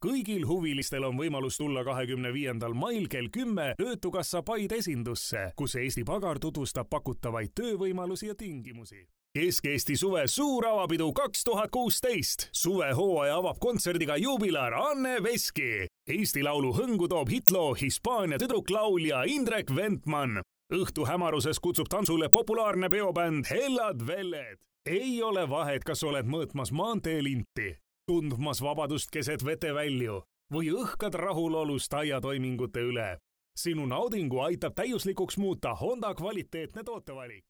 Kõigil huvilistel on võimalus tulla 25. mail kell 10 Töötukassa Paide esindusse, kus Eesti Pagar tutvustab pakutavaid töövõimalusi ja tingimusi. Kesk-Eesti suve suur avapidu 2016. Suvehooaja avab kontserdiga juubilar Anne Veski. Eesti Laulu hõngu toob hitloo Hispaania tüdruklaulja Indrek Ventman. Õhtu hämaruses kutsub tansule populaarne peobänd Hellad Velled. Ei ole vahet, kas oled mõõtmas maanteelinti, tundmas vabadust keset vetevälju või õhkad rahulolust aiatoimingute üle. Sinu naudingu aitab täiuslikuks muuta Honda kvaliteetne tootevalik.